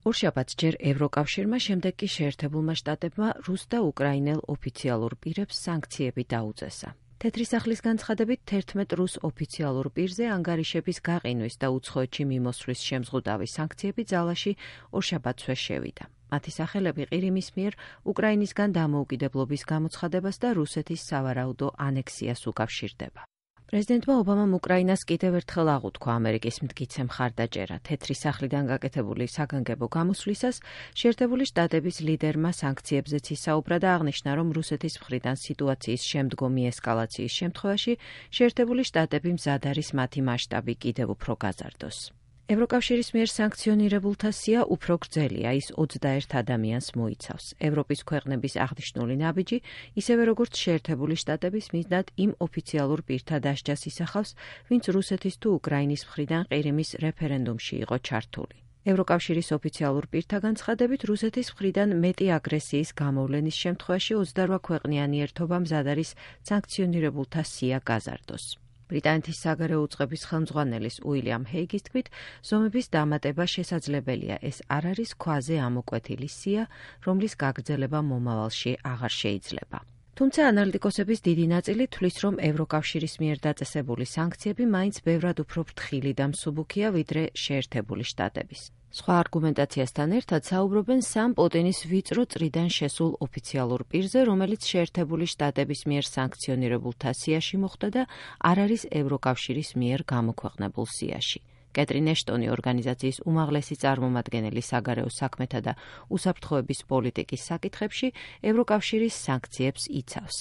ორშაბათს ჯერ ევროკავშირმა, შემდეგ კი შეერთებულმა შტატებმა რუს და უკრაინელ ოფიციალურ პირებს სანქციები დაუწესა. თეთრი სახლის განცხადებით 11 რუს ოფიციალურ პირზე ანგარიშების გაყინვის და უცხოეთში მიმოსვლის შემზღუდავი სანქციები ძალაში ორშაბათსვე შევიდა. მათი სახელები ყირიმის მიერ უკრაინისგან დამოუკიდებლობის გამოცხადებას და რუსეთის სავარაუდო ანექსიას უკავშირდება. პრეზიდენტმა ობამამ უკრაინას კიდევ ერთხელ აღუთქვა ამერიკის მტკიცე მხარდაჭერა. თეთრი სახლიდან გაკეთებული საგანგებო გამოსვლისას შეერთებული შტატების ლიდერმა სანქციებზეც ისაუბრა და აღნიშნა, რომ რუსეთის მხრიდან სიტუაციის შემდგომი ესკალაციის შემთხვევაში შეერთებული შტატები მზად არის მათი მასშტაბი კიდევ უფრო გაზარდოს. ევროკავშირის მიერ სანქციონირებულთა სია უფრო გრძელია, ის 21 ადამიანს მოიცავს. ევროპის ქვეყნების აღნიშნული ნაბიჯი, ისევე როგორც შეერთებული შტატების მიზნად იმ ოფიციალურ პირთა დასჯას ისახავს, ვინც რუსეთის თუ უკრაინის მხრიდან ყირიმის რეფერენდუმში იყო ჩართული. ევროკავშირის ოფიციალურ პირთა განცხადებით, რუსეთის მხრიდან მეტი აგრესიის გამოვლენის შემთხვევაში 28 ქვეყნიანი ერთობა მზად არის სანქციონირებულთა სია გაზარდოს. ბრიტანეთის საგარეო უწყების ხელმძღვანელის უილიამ ჰეიგის თქმით, ზომების დამატება შესაძლებელია, ეს არ არის ქვაზე ამოკვეთილი სია, რომლის გაგრძელება მომავალში აღარ შეიძლება. თუმცა ანალიტიკოსების დიდი ნაწილი თვლის, რომ ევროკავშირის მიერ დაწესებული სანქციები მაინც ბევრად უფრო ფრთხილი და მსუბუქია, ვიდრე შეერთებული შტატების. სხვა არგუმენტაციასთან ერთად საუბრობენ სამ პუტინის ვიწრო წრიდან შესულ ოფიციალურ პირზე, რომელიც შეერთებული შტატების მიერ სანქციონირებულთა სიაში მოხვდა და არ არის ევროკავშირის მიერ გამოქვეყნებულ სიაში. კეტრინ ეშტონი ორგანიზაციის უმაღლესი წარმომადგენელი საგარეო საქმეთა და უსაფრთხოების პოლიტიკის საკითხებში ევროკავშირის სანქციებს იცავს.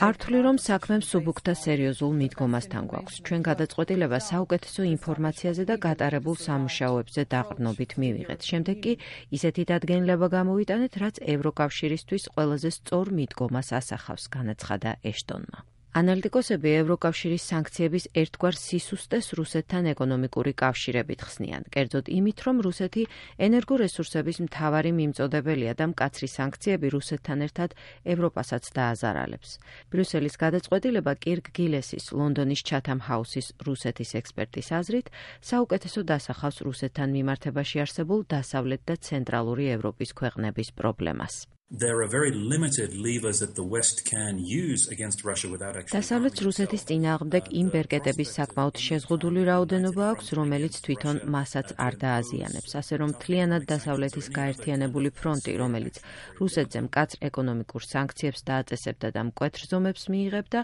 არ ვთვლი, რომ საქმე მსუბუქ და სერიოზულ მიდგომასთან გვაქვს. ჩვენ გადაწყვეტილება საუკეთესო ინფორმაციაზე და გატარებულ სამუშაოებზე დაყრდნობით მივიღეთ. შემდეგ კი ისეთი დადგენილება გამოვიტანეთ, რაც ევროკავშირისთვის ყველაზე სწორ მიდგომას ასახავს, განაცხადა ეშტონმა. ანალიტიკოსები ევროკავშირის სანქციების ერთგვარ სისუსტეს რუსეთთან ეკონომიკური კავშირებით ხსნიან, კერძოდ იმით, რომ რუსეთი ენერგორესურსების მთავარი მიმწოდებელია და მკაცრი სანქციები რუსეთთან ერთად ევროპასაც დააზარალებს. ბრიუსელის გადაწყვეტილება კირკ გილესის, ლონდონის ჩათამ ჰაუსის რუსეთის ექსპერტის აზრით, საუკეთესო დასახავს რუსეთთან მიმართებაში არსებულ დასავლეთ და ცენტრალური ევროპის ქვეყნების პრობლემას. დასავლეთს რუსეთის წინააღმდეგ იმ ბერკეტების საკმაოდ შეზღუდული რაოდენობა აქვს, რომელიც თვითონ მასაც არ დააზიანებს, ასე რომ მთლიანად დასავლეთის გაერთიანებული ფრონტი, რომელიც რუსეთზე მკაცრ ეკონომიკურ სანქციებს დააწესებდა და მკვეთრ ზომებს მიიღებდა,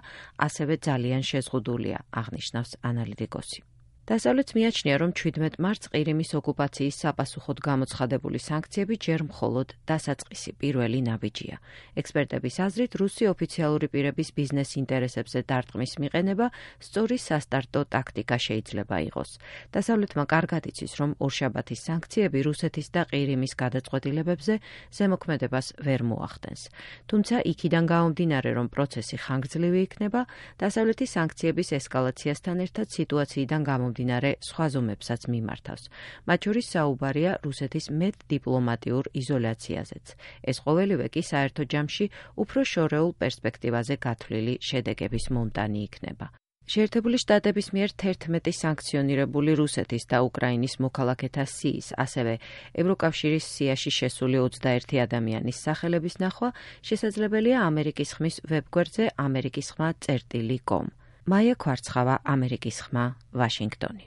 ასევე ძალიან შეზღუდულია, აღნიშნავს ანალიტიკოსი. დასავლეთს მიაჩნია, რომ 17 მარტს ყირიმის ოკუპაციის საპასუხოდ გამოცხადებული სანქციები ჯერ მხოლოდ დასაწყისი პირველი ნაბიჯია. ექსპერტების აზრით, რუსი ოფიციალური პირების ბიზნეს ინტერესებზე დარტყმის მიყენება სწორი სასტარტო ტაქტიკა შეიძლება იყოს. დასავლეთმა კარგად იცის, რომ ორშაბათის სანქციები რუსეთის და ყირიმის გადაწყვეტილებებზე ზემოქმედებას ვერ მოახდენს. თუმცა იქიდან გამომდინარე, რომ პროცესი ხანგრძლივი იქნება, დასავლეთის სანქციების ესკალაციასთან ერთად სიტუაციიდან გამომდინარე სხვა ზომებსაც მიმართავს. მათ შორის საუბარია რუსეთის მეტ დიპლომატიურ იზოლაციაზეც. ეს ყოველივე კი საერთო ჯამში უფრო შორეულ პერსპექტივაზე გათვლილი შედეგების მომტანი იქნება. შეერთებული შტატების მიერ 11 სანქციონირებული რუსეთის და უკრაინის მოქალაქეთა სიის, ასევე ევროკავშირის სიაში შესული 21 ადამიანის სახელების ნახვა შესაძლებელია ამერიკის ხმის ვებგვერდზე amerikisxma.com. მაია ქვარცხავა, ამერიკის ხმა, ვაშინგტონი.